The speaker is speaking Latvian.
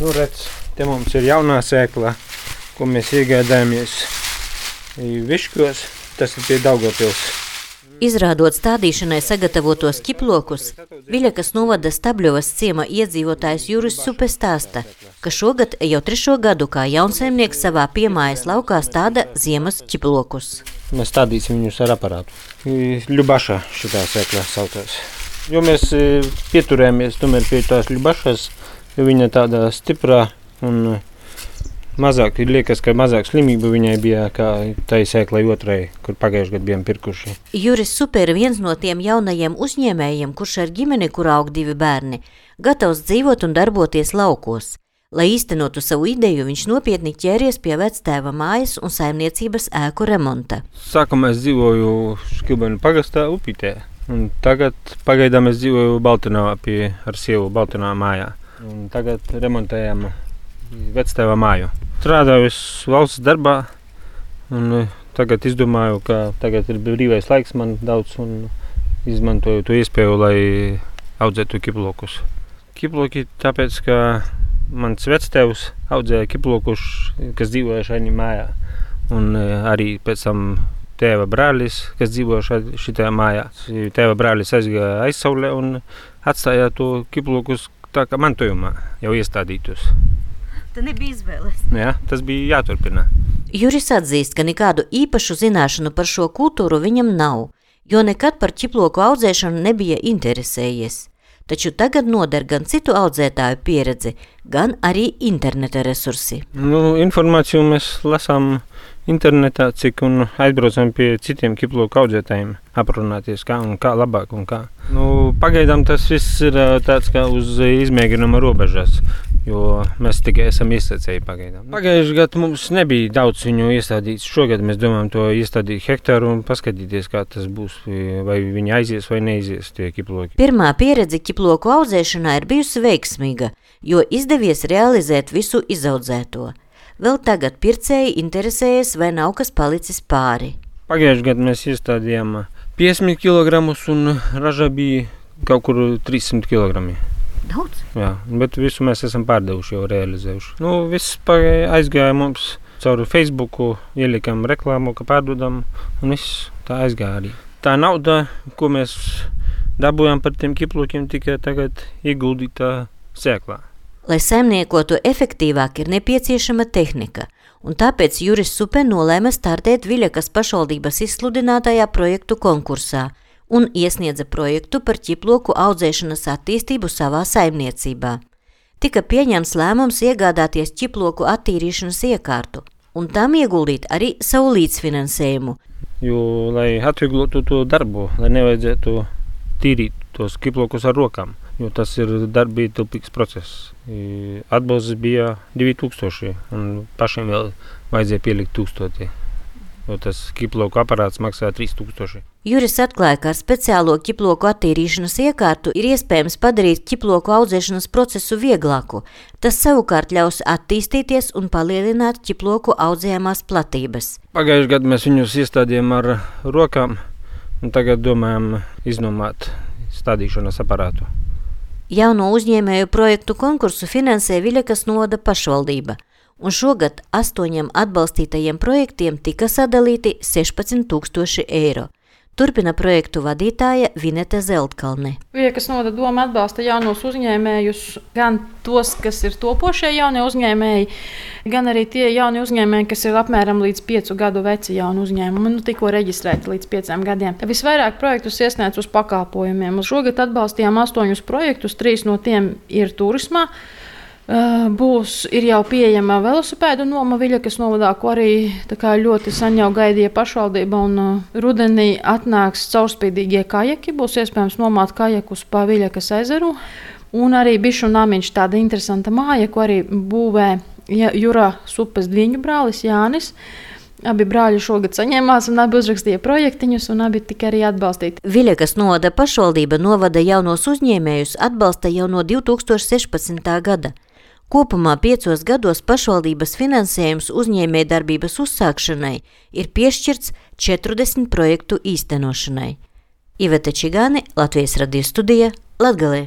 Nu, redz, te mums ir jaunā sēkla, ko mēs iegādājamies Viškos. Tas ir pie Daugavpils. Izrādot stādīšanai sagatavotos ķiplokus, Viļakas novada Stabļovas ciema iedzīvotājs Juris Supe stāsta, ka šogad jau 3. gadu kā jaunsaimnieks savā piemājas laukā stāda ziemas ķiplokus. Mēs stādīsim viņus ar aparātu. Ļubaša šitā sēkla saucās. Jo mēs pieturējāmies tomēr pie tās Ļubašas, jo viņa tāda stiprā un mazāk, liekas, ka mazāk slimību viņai bija kā tai sēklai otrai, kur pagājuši gadu bijām pirkuši. Juris Supe ir viens no tiem jaunajiem uzņēmējiem, kurš ar ģimeni, kur aug 2 bērni, gatavs dzīvot un darboties laukos. Lai īstenotu savu ideju, viņš nopietni ķēries pie vectēva mājas un saimniecības ēku remonta. Sākumā es dzīvoju Škilbenu pagastā Upītē, un tagad pagaidām es dzīvoju Baltinavā ar sievu Baltinavā mājā. Un tagad remontējam vectēva māju. Strādāju es valsts darbā un tagad izdomāju, ka tagad ir brīvais laiks man daudz un izmantoju to iespēju, lai audzētu ķiplokus. Ķiploki tāpēc, ka mans vectēvs audzēja ķiplokus, kas dzīvoja šajā mājā. Un arī pēc tam tēva brālis, kas dzīvoja šitā mājā. Tēva brālis aizgāja aizsaulē un atstāja to ķiplokus tā kā mantojumā jau iestādītos. Tā nebija izvēles. Jā, tas bija jāturpina. Juris atzīst, ka nekādu īpašu zināšanu par šo kultūru viņam nav, jo nekad par ķiploku audzēšanu nebija interesējies. Taču tagad noder gan citu audzētāju pieredzi, gan arī interneta resursi. Informāciju mēs lasām internetā, cik un aizbraucam pie citiem ķiploku audzētājiem aprunāties, kā un kā labāk un kā. Pagaidām tas viss ir tāds kā uz izmēģinuma robežas, jo mēs tikai esam iestācēji pagaidām. Pagājuši gadu mums nebija daudz viņu iestādīts. Šogad mēs domājam to iestādīt hektāru un paskatīties, kā tas būs, vai viņi aizies vai neizies tie ķiploki. Pirmā pieredze ķiploku audzēšanā ir bijusi veiksmīga, jo izdevies realizēt visu izaudzēto. Vēl tagad pircēji interesējas, vai nav kas palicis pāri. Pagājuši gadu mēs iestādījām 50 kg un raža bija kaut kur 300 kg. Daudz? Jā, bet visu mēs esam pārdevuši, jau realizējuši. Viss aizgāja mums caur Facebooku, ielikām reklāmu, ka pārdodam, un viss tā aizgāja arī. Tā nauda, ko mēs dabūjām par tiem ķiplokiem, tikai tagad ieguldītā sēklā. Lai saimniekotu efektīvāk, ir nepieciešama tehnika, un tāpēc Juris Supe nolēma startēt Viļakas pašvaldības izsludinātajā projektu konkursā un iesniedza projektu par ķiploku audzēšanas attīstību savā saimniecībā. Tika pieņemts lēmums iegādāties ķiploku attīrīšanas iekārtu, un tam ieguldīt arī savu līdzfinansējumu. Jo, lai atvieglotu to darbu, lai nevajadzētu tīrīt tos ķiplokus ar rokām, jo tas ir darbietilpīgs process. Atbalsts bija 2000, un pašiem vēl vajadzēja pielikt 1000, jo tas ķiploku aparāts maksā 3000. Juris atklāja, ka ar speciālo ķiploku attīrīšanas iekārtu ir iespējams padarīt ķiploku audzēšanas procesu vieglāku. Tas savukārt ļaus attīstīties un palielināt ķiploku audzējamās platības. Pagājuši gadu mēs viņus iestādījām ar rokām, un tagad domājam iznomāt stādīšanas aparātu. Jauno uzņēmēju projektu konkursu finansē Viļakas novada pašvaldība, un šogad 8 atbalstītajiem projektiem tika sadalīti 16 000 eiro. Turpina projektu vadītāja Vinete Zeltkalne. Viļakas novada doma atbalsta jaunos uzņēmējus, gan tos, kas ir topošie jaunie uzņēmēji, gan arī tie jaunie uzņēmēji, kas ir apmēram līdz 5 gadu veci jauni uzņēmumi, tikko reģistrēti līdz 5 gadiem. Visvairāk projektus iesniedz uz pakalpojumiem. Šogad atbalstījām 8 projektus, 3 no tiem ir turismā. Ir jau pieejama velosipēdu noma Viļakas novadā, ko arī ļoti sen jau gaidīja pašvaldība, un rudenī atnāks caurspīdīgie kajaki, būs iespējams nomāt kajakus pa Viļakas ezeru, un arī bišu namiņš, tāda interesanta māja, ko arī būvē Jura Supes dviņu brālis Jānis. Abi brāļi šogad saņēmās un abi uzrakstīja projektiņus, un abi tika arī atbalstīti. Viļakas novada pašvaldība novada jaunos uzņēmējus atbalsta jau no 2016. gada. Kopumā 5 gados pašvaldības finansējums uzņēmējdarbības uzsākšanai ir piešķirts 40 projektu īstenošanai. Iveta Čigāne, Latvijas radio studija, Latgalē.